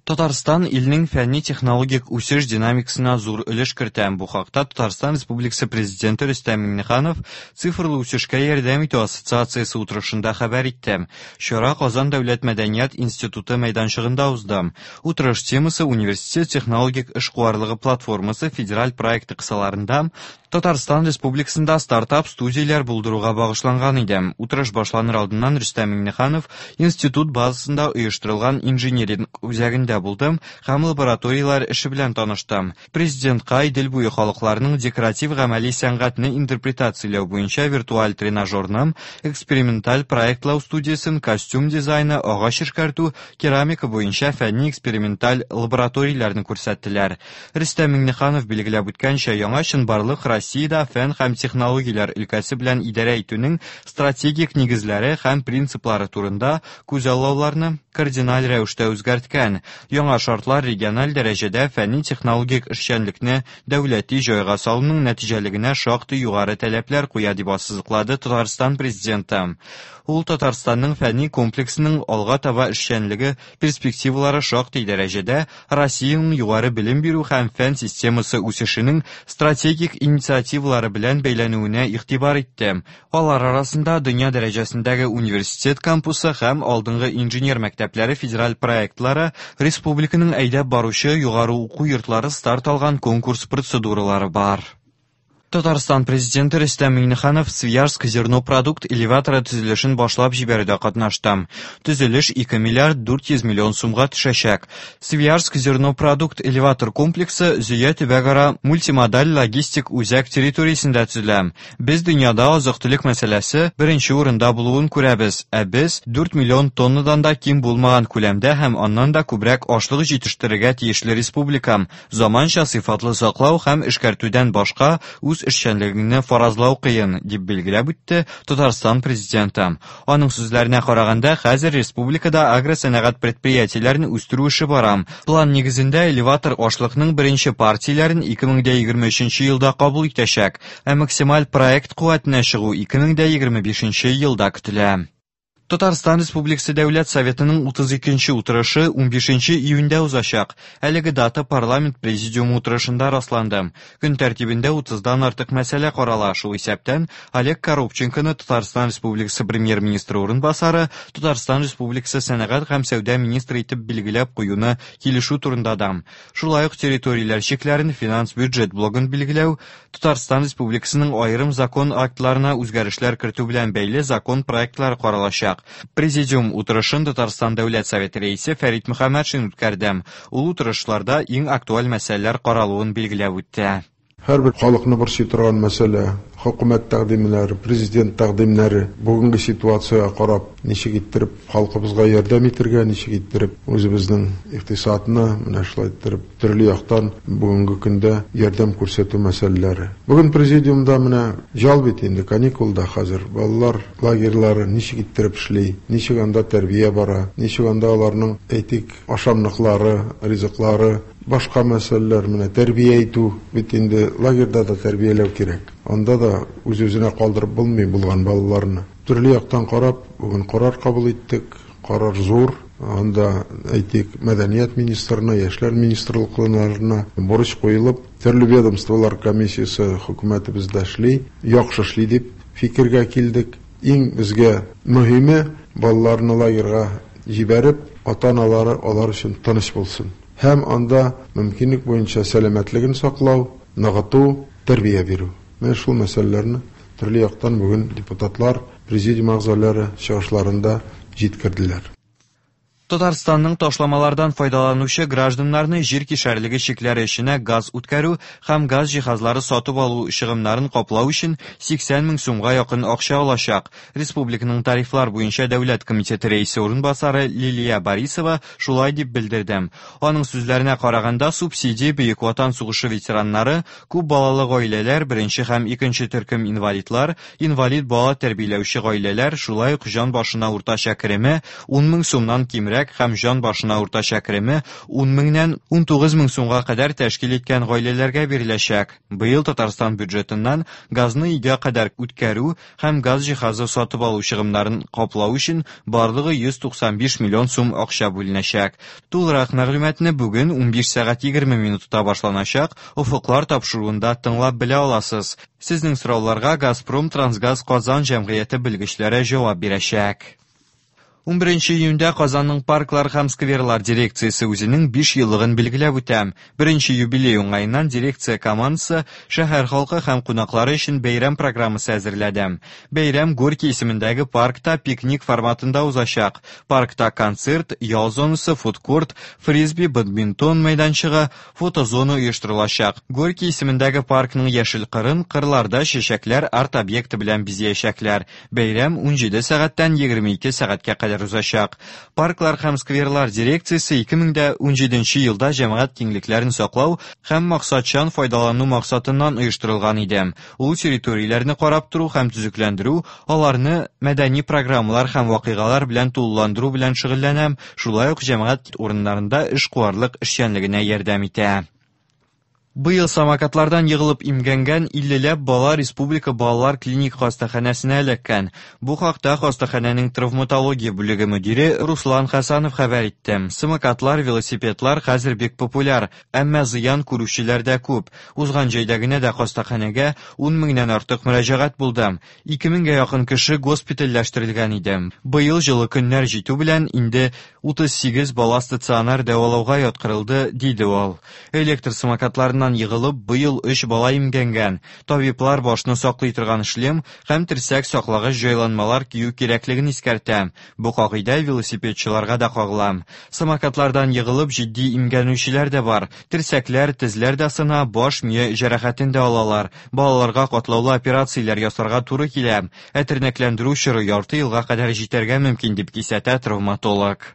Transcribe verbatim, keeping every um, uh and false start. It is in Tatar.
Татарстан илнең фәнни-технологик үсеш динамикасына зур өлеш кертә. Бу хакта Татарстан Республикасы Президенты Рөстәм Миңнеханов Цифрлы үсешкә ярдәм итү ассоциациясе утырышында хәбәр итте. Чара Казан дәүләт мәдәният институты мәйданчыгында узды. Утырыш темасы Университет технологик эшкуарлыгы платформасы федераль проекты кысаларында Татарстан Республикасында стартап-студияләр булдыруга багышланган иде. Утырыш башланыр алдыннан Рөстәм Миңнеханов институт базасында оештырылган инжиниринг үзәгендә булды һәм лабораторияләр эше белән танышты. Президентка Идел буе халыкларының декоратив-гамәли сәнгатьне интерпретацияләү буенча виртуаль тренажерны, эксперименталь проектлау студиясен, костюм дизайны, агач эшкәртү, керамика буенча фәнни эксперименталь лабораторияләрне күрсәттеләр. Рөстәм Миңнеханов билгеләп үткәнчә, яңа чынбарлык Россиядә фән һәм технологияләр өлкәсе белән идарә итүнең стратегик нигезләре һәм принциплары турында күзаллауларны кардиналь рәвештә үзгәрткән. Яңа шартлар региональ дәрәҗәдә фәнни-технологик эшчәнлекне дәүләти җайга салуның нәтиҗәлегенә шактый югары таләпләр куя, дип ассызыклады Татарстан президенты. Ул Татарстанның фәнни комплексының алга таба эшчәнлеге перспективалары шактый дәрәҗәдә Россиянең югары белем бирү һәм фән системасы үсешенең стратегик инициативалары белән бәйләнүенә игътибар итте. Алар арасында дөнья дәрәҗәсендәге университет кампусы һәм алдынгы инженер мәктәпләре федераль проектлары, республиканың әйдәп баручы югары уку йортлары старт алган конкурс процедуралары бар. Татарстан президенты Рөстәм Миңнеханов Свияжск зернопродукт элеваторы төзелешен башлап җибәрүдә катнашты. Төзелеш ике миллиард дүрт йөз миллион сумга төшәчәк. Свияжск зернопродукт элеватор комплексы Зөя төбәкара мультимодаль логистик үзәк территориясендә төзелә. Без дөньяда азык-төлек мәсьәләсе беренче урында булуын күрәбез, ә без дүрт миллион тоннадан да ким булмаган күләмдә һәм аннан да күбрәк ашлык җитештерергә тиешле республика. Заманча сыйфатлы саклау һәм эшкәртүдән башка үз эшчәнлегеңне фаразлау кыен, дип билгеләп үтте Татарстан президенты. Аның сүзләренә караганда, хәзер республикада агросәнәгать предприятиеләрен үстерү эше бара. План нигезендә элеватор ашлыкның беренче партияләрен ике мең дә егерме өченче елда кабул итәчәк, ә максималь проект куәтенә чыгу ике мең дә егерме бишенче елда көтелә. Татарстан Республикасы Дәүләт Советының утыз икенче утырышы унбишенче июньдә узачак. Әлеге дата парламент президиумы утырышында расланды. Көн тәртибендә утыздан артык мәсьәлә карала. Шул исәптән Олег Коробченконы Татарстан Республикасы премьер-министры урынбасары, Татарстан Республикасы сәнәгать һәм сәүдә министры итеп билгеләп куюны килешү турында да. Шулай ук территорияләр чикләрен финанс бюджет блогын билгеләү, Татарстан Республикасының аерым закон актларына үзгәрешләр кертү белән бәйле закон проектлары каралачак. Президиум утырышын Татарстан Дәүләт Советы рәисе Фәрит Мөхәммәтшин үткәрде. Ул утырышларда иң актуаль мәсьәләләр каралуын билгеләп үтте. Һәрбер халыкны борчый торган мәсьәлә, хөкүмәт тәкъдимнәре, президент тәкъдимнәре бүгенге ситуациягә карап, ничек иттереп халкыбызга ярдәм итәргә, ничек иттереп үзебезнең икътисадны менә шулай иттереп төрле яктан бүгенге көндә ярдәм күрсәтү мәсьәләләре. Бүген президиумда менә ял бит инде, каникулда хәзер балалар лагерьлары ничек иттереп эшли, ничек анда тәрбия бара, ничек анда аларның әйтик ашамлыклары, ризыклары, башка мәсьәләләр, менә тәрбия итү бит инде лагерьда да тәрбияләү кирәк. Анда да үз-үзенә калдырып булмый булган балаларны. Төрле яктан карап, бүген карар кабул иттек. Карар зур. Анда әйтик мәдәният министрына, яшьләр министрлыкларына бурыч куелып, төрле ведомстволар комиссиясе хөкүмәтебездә эшли, яхшы эшли дип фикергә килдек. Иң безгә мөһиме балаларны лагерьга җибәреп, ата-аналары алар өчен тыныч булсын. Һәм анда мөмкинлек буенча сәламәтлеген саклау, ныгыту, тәрбия бирү. Менә шул мәсьәләләрне төрле яктан бүген депутатлар, президиум әгъзалары чыгышларында җиткерделәр. Татарстанның ташламалардан файдаланучы гражданнарны җир кишәрлеге чикләре эченә газ үткәрү һәм газ җиһазлары сатып алу чыгымнарын каплау өчен сиксән мең сумга якын акча алачак. Республиканың тарифлар буенча дәүләт комитеты рәисе урынбасары Лилия Борисова шулай дип белдерде. Аның сүзләренә караганда, субсидия Бөек Ватан сугышы ветераннары, күп балалы гаиләләр, беренче һәм икенче төркем инвалидлар, инвалид бала тәрбияләүче гаиләләр, шулай ук җан башына уртача кереме ун мең сумнан кимрәк түбәнрәк һәм җан башына уртача кереме ун меңнән унтугыз мең сумга кадәр тәшкил иткән гаиләләргә биреләчәк. Быел Татарстан бюджетыннан газны өйгә кадәр үткәрү һәм газ җиһазы сатып алу чыгымнарын каплау өчен барлыгы йөз туксан биш миллион сум акча бүленәчәк. Тулырак мәгълүматны бүген унбиш сәгать егерме минутта башланачак Офыклар тапшыруында тыңлап белә аласыз. Сезнең сорауларга Газпром Трансгаз Казан җәмгыяте белгечләре җавап бирәчәк. Унберенче июньдә Казанның парклар һәм скверлар дирекциясе үзенең биш еллыгын билгеләп үтә. Беренче юбилей уңаеннан дирекция командасы шәһәр халкы һәм кунаклары өчен бәйрәм программасы әзерләде. Бәйрәм Горький исемендәге паркта пикник форматында узачак. Паркта концерт, ял зонасы, фудкорт, фрисби, бадминтон мәйданчыгы, фотозона оештырылачак. Горький исемендәге паркның яшел кырын кырларда чәчәкләр арт-объекты белән бизәячәкләр. Бәйрәм унҗиде сәгатьтән егерме ике сәгатькә кадәр узачак. Парклар һәм скверлар дирекциясе ике мең дә унҗиденче елда җәмәгать киңлекләрен саклау һәм максатчан файдалану максатыннан оештырылган иде. Ул территорияләрне карап тору һәм төзекләндерү, аларны мәдәни программалар һәм вакыйгалар белән тулыландыру белән шөгыльләнә, шулай ук җәмәгать урыннарында эшкуарлык эшчәнлегенә ярдәм итә. Быел самокатлардан егылып имгәнгән иллеләп бала Республика балалар клиник хастаханәсенә эләккән. Бу хакта хастаханәнең травматология бүлеге мөдире Руслан Хасанов хәбәр итте. Самокатлар, велосипедлар хәзер бик популяр, әмма зыян күрүчеләр дә күп. Узган җәйдә генә дә хастаханәгә ун меңнән артык мөрәҗәгать булды. Ике меңгә якын кеше госпитальләштерелгән иде. Быел җылы көннәр җитү белән инде утыз сигез бала стационар дәвалауга яткырылды, диде ул. Электр самокатларыннан егылып, быел өч бала имгәнгән. Табиблар башны саклый торган шлем һәм терсәк саклагыч җайланмалар кию кирәклеген искәртә. Бу кагыйдә велосипедчыларга да кагыла. Самокатлардан егылып җитди имгәнүчеләр дә бар. Терсәкләр, тезләр дә сына, баш мие җәрәхәтен дә алалар. Балаларга катлаулы операцияләр ясарга туры килә. Ә тернәкләндерү чоры ярты елга кадәр җитәргә мөмкин, дип кисәтә травматолог.